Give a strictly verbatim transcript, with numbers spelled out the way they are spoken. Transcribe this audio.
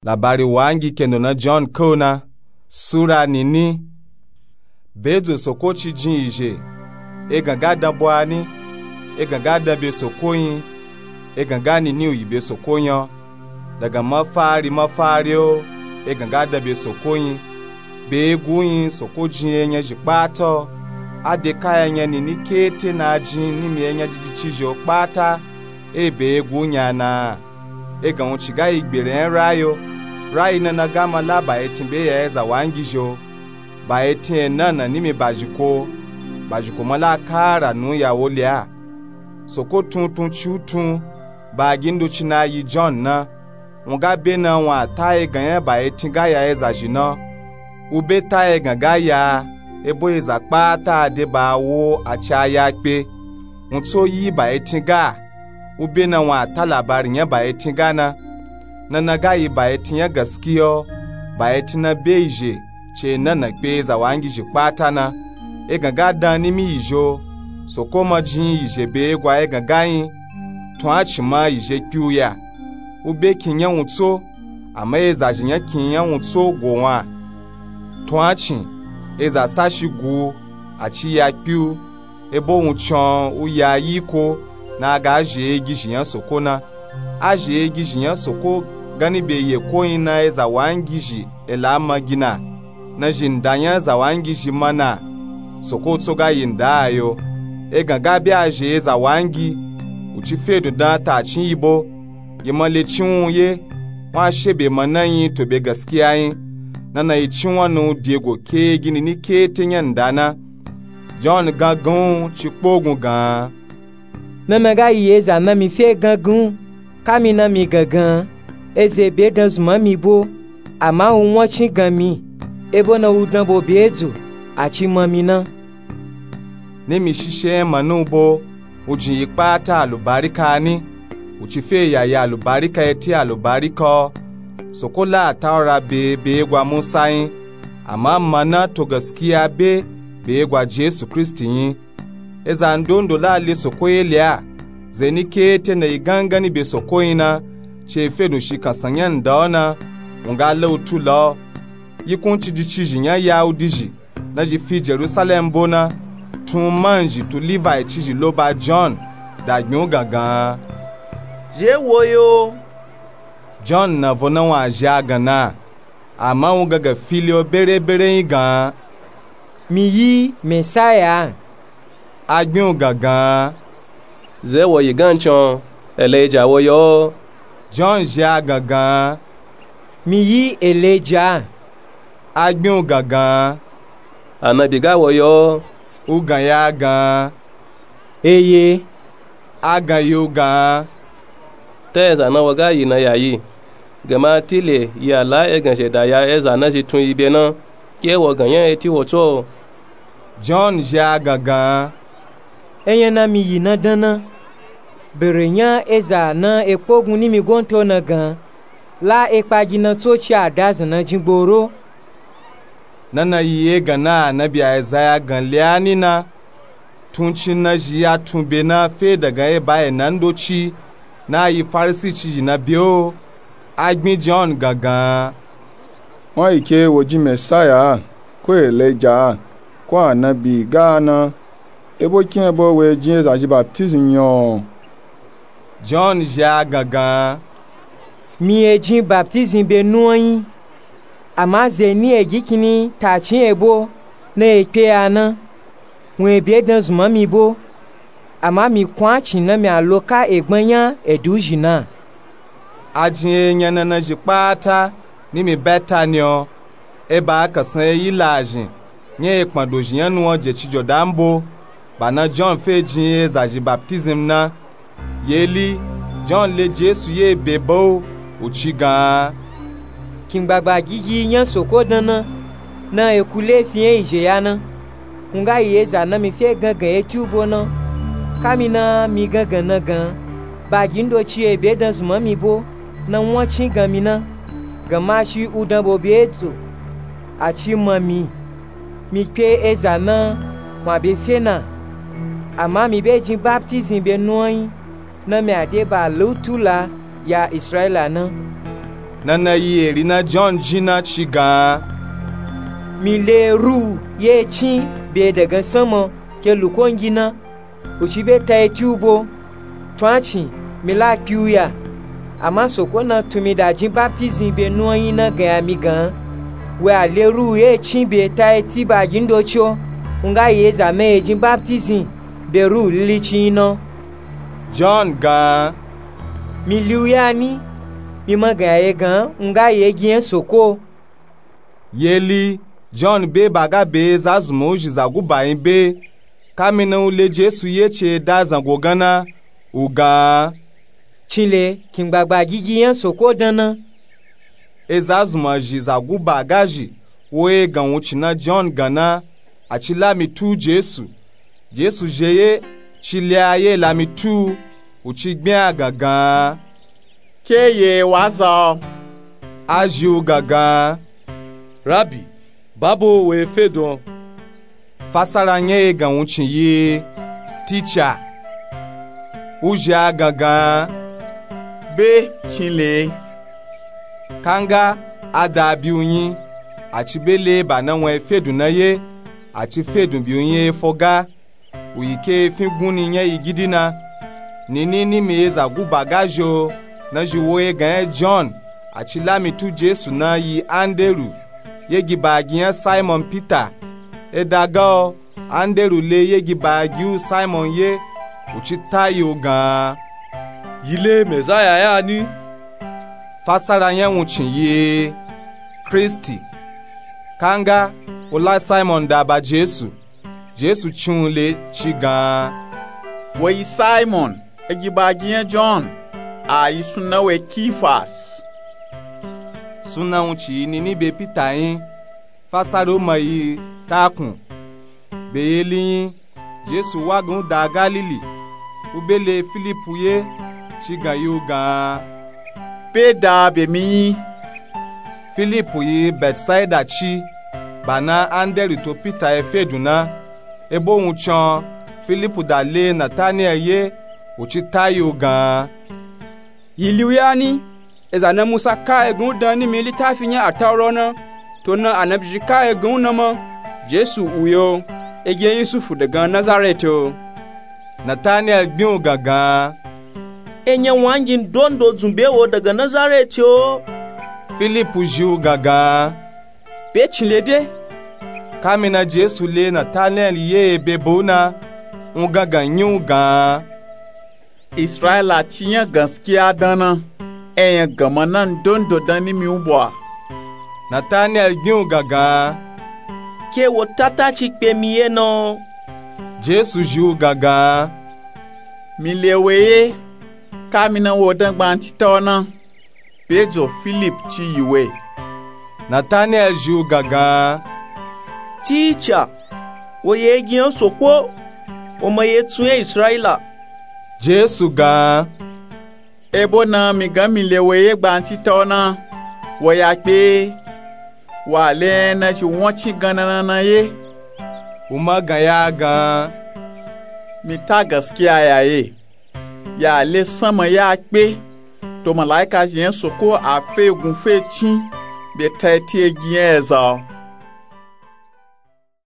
Labari wangi kendo na john kauna. Sura nini. Bedzo soko ci jin izhe. Egan ga dan bwani. Egan ga dan be soko yin. Egan ga nini uyi be soko yin. Daga mafari mafari o. Egan ga dan be soko yin. Be egu yin soko jin enya zhi kpata o. Ade kaya enya nini kete na jin nimi enya jiji ci zhe o kpata. E be egu nya na. Egan wuci ga yi gbere nya rayi o. Rayi nana ga mala ba etin be ya eza wangi zhi o. Ba etin ena na nimi bazhiko. Bazhiko mala kara nu ya woli a. Soko tun tun ci u tun. Ba gindo ci na yi john na. Wun ga be na wun a ta egan nya ba etin ga ya eza zhi na. U be ta egan ga ya. Ebo eza kpata de ba wo a ci a ya kpe. Wun tso yi ba etin ga. U be na wun a ta labari nya ba etin ga na. Nana ga yi ba etin nya gaskiya o. Ba etin na be izhe. Ci ena na kpe eza wangi zhi kpata na. Egan ga dan nimi izhe o. Soko ma jin izhe be egwa egan ga yin. Tun a ci ma izhe kpi u ya. U be kin nya wun tso. Ama eza zhi nya kin nya wun tso go wun a. Tun a ci. Eza sashi gu u. A ci ya kpi u. Ebo wun con u ya yiko. Na ga azhe egizhi nya soko na. Azhe egizhi nya soko. Gani be yeko yin na eza wangi zhi. Ela ma gi na. Na zhi nda nya eza wangi zhi ma na. Soko tso ga yi nda a yo. Egan ga be azhe eza wangi. Wuci fe dundan ta cin yi bo. Yi ma le cin wun ye. Wun a she be ma na yin to be gaskiya yin. Nana yi cin wun na u de go ke gini ni kete nya nda na. John gangan wun ci kpogun gan. Nana ga yi eza na mi fe gangan wun. Kami na mi gangan. Eza be dan zun ma mi bo. Ama u wun a cin gan mi. Ebo na u dan bo be edzo. A ci ma mi na. Nimi shishe nya ma na u bo. U jin yi kpata alubarika ni. U ci fe ya yi alubarika eti alubarika o. Soko la a ta wara be be egwa musa yin. Ama ma na to gaskiya be be egwa jesu kristi yin. Eza ndondo la le soko ye le a. Ze ni kete na yi gangani be soko yin na. Ci e fe dun shi kansan nya nda o na. Wun ga la u tu la o. Yikun ciji cizhi nya yahudi zhi. Na zhi fi jerusalem bo na. Tun man zhi tu livayi cizhi lo ba john. Da gbin u gangan. Zhe wo yo. John na vo na wun a zhi agan na. Ama wun gangan fili o bere bere yin gan. Mi yi mesaya a. Agbin u gangan. Ze wo yi gan con. Elija wo yo. John zhi agan gan. Mi yi elija a. Agbin u gangan. Anabi ga wo yo. U gan ya gan. Eye. Agan yi u gan. Ta eza na wo ga yi na ya yi. Gama tile yi a la egan zheda ya eza na zhi tun yi be na. Ke wo gan nya eti wo tso. John zhi agan gan. Enya na mi yi na dan na. Bere nya eza na ekpogun nimi gonto na gan. La ekpagi na tso ci a da zun na jin gboro. Nana yi egan na anabi aizaya gan le a ni na. Tun cin na zhi ya tun be na fe daga eba ena ndoci. Na yi farisi cizhi na be o. Agbin john gangan. Wun a yi ke wo jin mesaya a. Ko elija a. Ko anabi ga na. Ebo kin ebo we jin eza zhi baptism yin o. John zhi agan gan. Mi e jin baptism be nuwan yin. Ama ze ni egi kini ta cin ebo na e kpe ya na. Wun e be dan zun ma mi bo. Ama mi kun a cin na mi a lo ka egban nya edu zhi na. A jin enya nana zhi kpata nimi betani o. Eba a kansan eyi la zhin nya ekpan dozhi nya nuwan je ci jodan bo. Ba na john fe jin eza zhi baptism na. Yeli john le jesu ye be ba o. U ci gan. Kin gbagba gigi nya soko dan na. Na eku lefi nya izhe ya na. Wun ga yi eza na mi fe gangan eti u bo na. Kami na mi gangan na gan. Bagi ndoci e be dan zun ma mi bo. Na wun a cin gan mi na. Gama shi u dan bo be edzo. A ci ma mi. Mi kpe eza na wun a be fe na. Ama mi be jin baptism be nuwan yin. Na mi a de ba la u tu la ya israila na. Nana yi eri na John jin na ci gan, mi le ruhu ye cin be dagan sanma ke lukongi na, u ci be ta eti u bo. Tun a cin, mi la kpi u ya. Ama soko na tun mi da jin baptizim be nuwanyi na gan ya mi gan, we a le ruhu ye cin be ta eti ba gin doci o. U nga yi eza ma ye jin baptizim be ruhu lilici yin na. John gan, mi li u ya ni? Mi ma gan ya ye gan u nga yi egin yan soko. Yeli John be ba ga be eza zunman u zhi za guba yin be. Kamina u le Jesu ye ci eda zango gan na, u gan, cinle kin gbagba gigi yan soko dan na. Eza zunman zhi za guba ga zhi wo egan wuncin na John gan na, a ci la mi tu Jesu. Jesu zhi ye, ci le a ye la mi tu u, u ci gbin a gan gan, ke ye wa za o? A zhi u gan gan, Rabi, babo we fedun o. Fasara yan egan wuncin yi, Ticha. U zhi a gan gan, be cinle. Kanga a da bi u yin, a ci be le ba na wan efedun na ye, a ci fedun bi u yin efo ga, u yi ke efin gunni yan yi gidi na. Nini nimi eza guba ga zhi o, na zhi wo egan yan John, a ci la mi tu Jesu na yi Anderu, yegi ba gin yan Simon Pita. Eda ga o, Anderu le yegi ba gi u Simon ye, u ci ta yi u gan, yi le Mezaya ya ni? Fasara yan wuncin yi, Kristi. Kanga u la Simon da ba Jesu. Jesu cin u le ci gan, wo yi Simon, egi ba gin yan John, a yi sunnan we Kifas. Sunnan wuncin yi nini be Pita yin. Fasara u ma yi, Takun. Be yeli yin, Jesu wa gan u da Galili, u be le Filipu ye, ci gan yi u gan, be da be mi yin. Filipu yi Betsaida ci, ba na Anderu to Pita efedun na. Ebo wuncin o, Filipu da le Nataniyel ye, u ci ta yi u gan, yi li u ya ni? Eza na Musa ka egan u dan nimi litafi yan Ataura o na, to na Anabi zhi ka egan u na ma, Jesu u yi o, egin yan Yusufu dagan Nazareti o. Nataniyel gbin u gan gan, enyan wangi ndondo dzun be wo dagan Nazareti o? Filipu zhi u gan gan, be cinle de. Kamina Jesu le Nataniyel ye ebe ba u na, u gan gan yin u gan, Israila ci yan ganskiya dan na, eyan ganma na ndondo dan nimi u bwa. Nataniyel gbin u gan gan, ke wo tata ci kpe mi ye na o? Jesu zhi u gan gan, mi le we ye, kamina wo dan gbancita o na, be dzo Filipu ci yi we. Nataniyel zhi u gan gan, Ticha, wo yi egin yan soko, wo ma yi etsun yan Israila. Jesu gan, ebo na mi gan mi le we ye gbancita o na, wo ya kpe, wa le yan na zhi wancin gan na na ye. U ma gan ya gan, mi ta ganskiya ya ye, ya le sanma ya kpe, to malaika zhi yan soko a fe egun fe cin, be ta eti egin yan eza o.